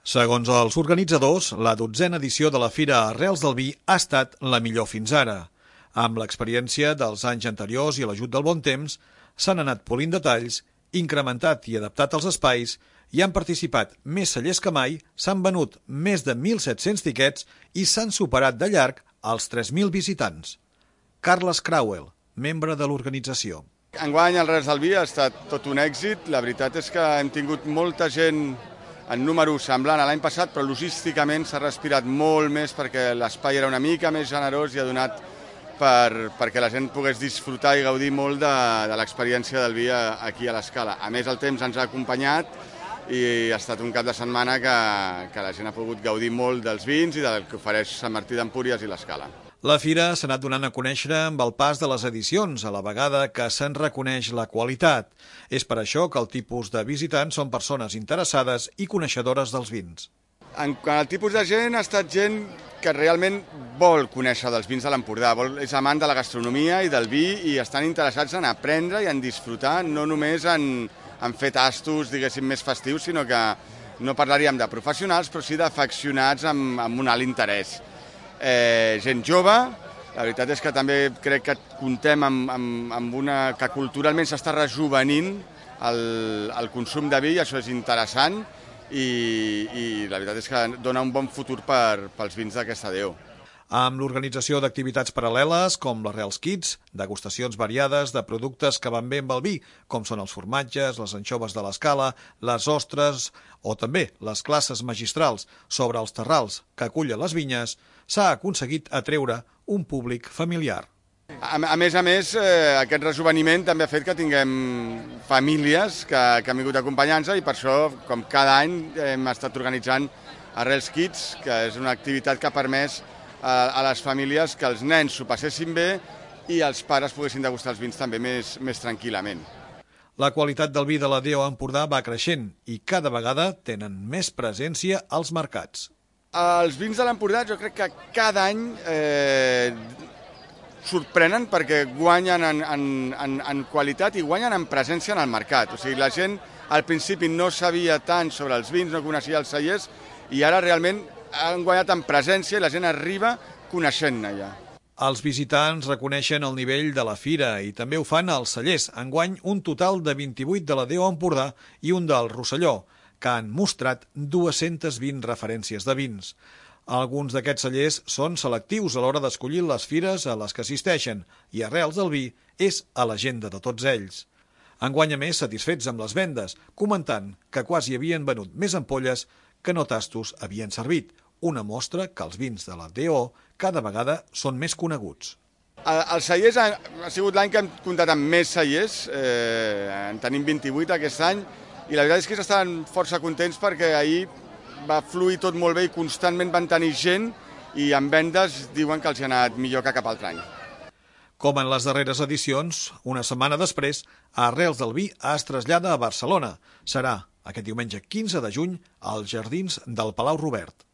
Segons els organitzadors, la 12a edició de la Fira Arrels del Vi ha estat la millor fins ara. Amb l'experiència dels anys anteriors i l'ajut del bon temps, s'han anat polint detalls, incrementat i adaptat els espais, hi han participat més cellers que mai, s'han venut més de 1.700 tiquets i s'han superat de llarg els 3.000 visitants. Carles Crauel, membre de l'organització. Enguany el Arrels del Vi ha estat tot un èxit. La veritat és que hem tingut molta gent en número semblant a l'any passat, però logísticament s'ha respirat molt més perquè l'espai era una mica més generós i ha donat perquè la gent pogués disfrutar i gaudir molt de l'experiència del vi aquí a l'Escala. A més, el temps ens ha acompanyat i ha estat un cap de setmana que la gent ha pogut gaudir molt dels vins i del que ofereix Sant Martí d'Empúries i l'Escala. La fira s'ha anat donant a conèixer amb el pas de les edicions, a la vegada que se'n reconeix la qualitat. És per això que el tipus de visitants són persones interessades i coneixedores dels vins. En quant al tipus de gent, ha estat gent que realment vol conèixer dels vins de l'Empordà, és amant de la gastronomia i del vi i estan interessats en aprendre i en disfrutar, no només en fer tastos, diguéssim, més festius, sinó que no parlaríem de professionals, però sí d'afeccionats amb un alt interès. Gent jove, la veritat és que també crec que comptem amb una que culturalment s'està rejuvenint el consum de vi, i això és interessant i la veritat és que dona un bon futur pels vins d'aquesta deu. Amb l'organització d'activitats paral·leles com l'Arrels Kids, degustacions variades de productes que van bé amb el vi, com són els formatges, les anxoves de l'Escala, les ostres o també les classes magistrals sobre els terrals que acullen les vinyes, s'ha aconseguit atreure un públic familiar. A més, aquest rejuveniment també ha fet que tinguem famílies que han vingut acompanyant-nos i per això, com cada any, hem estat organitzant Arrels Kids, que és una activitat que ha permès a les famílies que els nens s'ho passessin bé i els pares poguessin degustar els vins també més tranquil·lament. La qualitat del vi de la DO Empordà va creixent i cada vegada tenen més presència als mercats. Els vins de l'Empordà jo crec que cada any sorprenen perquè guanyen en qualitat i guanyen en presència en el mercat. O sigui, la gent al principi no sabia tant sobre els vins, no coneixia els cellers i ara realment han guanyat en presència i la gent arriba coneixent-ne ja. Els visitants reconeixen el nivell de la fira i també ho fan als cellers. Enguany un total de 28 de la DO Empordà i un del Rosselló, que han mostrat 220 referències de vins. Alguns d'aquests cellers són selectius a l'hora d'escollir les fires a les que assisteixen i Arrels del Vi és a l'agenda de tots ells. Enguany, a més, satisfets amb les vendes, comentant que quasi havien venut més ampolles que no tastos havien servit, una mostra que els vins de la DO cada vegada són més coneguts. Els cellers ha sigut l'any que hem comptat amb més cellers, en tenim 28 aquest any, i la veritat és que estaven força contents perquè ahir va fluir tot molt bé i constantment van tenir gent i en vendes diuen que els hi ha anat millor que cap altre any. Com en les darreres edicions, una setmana després, Arrels del Vi es trasllada a Barcelona. Serà aquest diumenge 15 de juny als jardins del Palau Robert.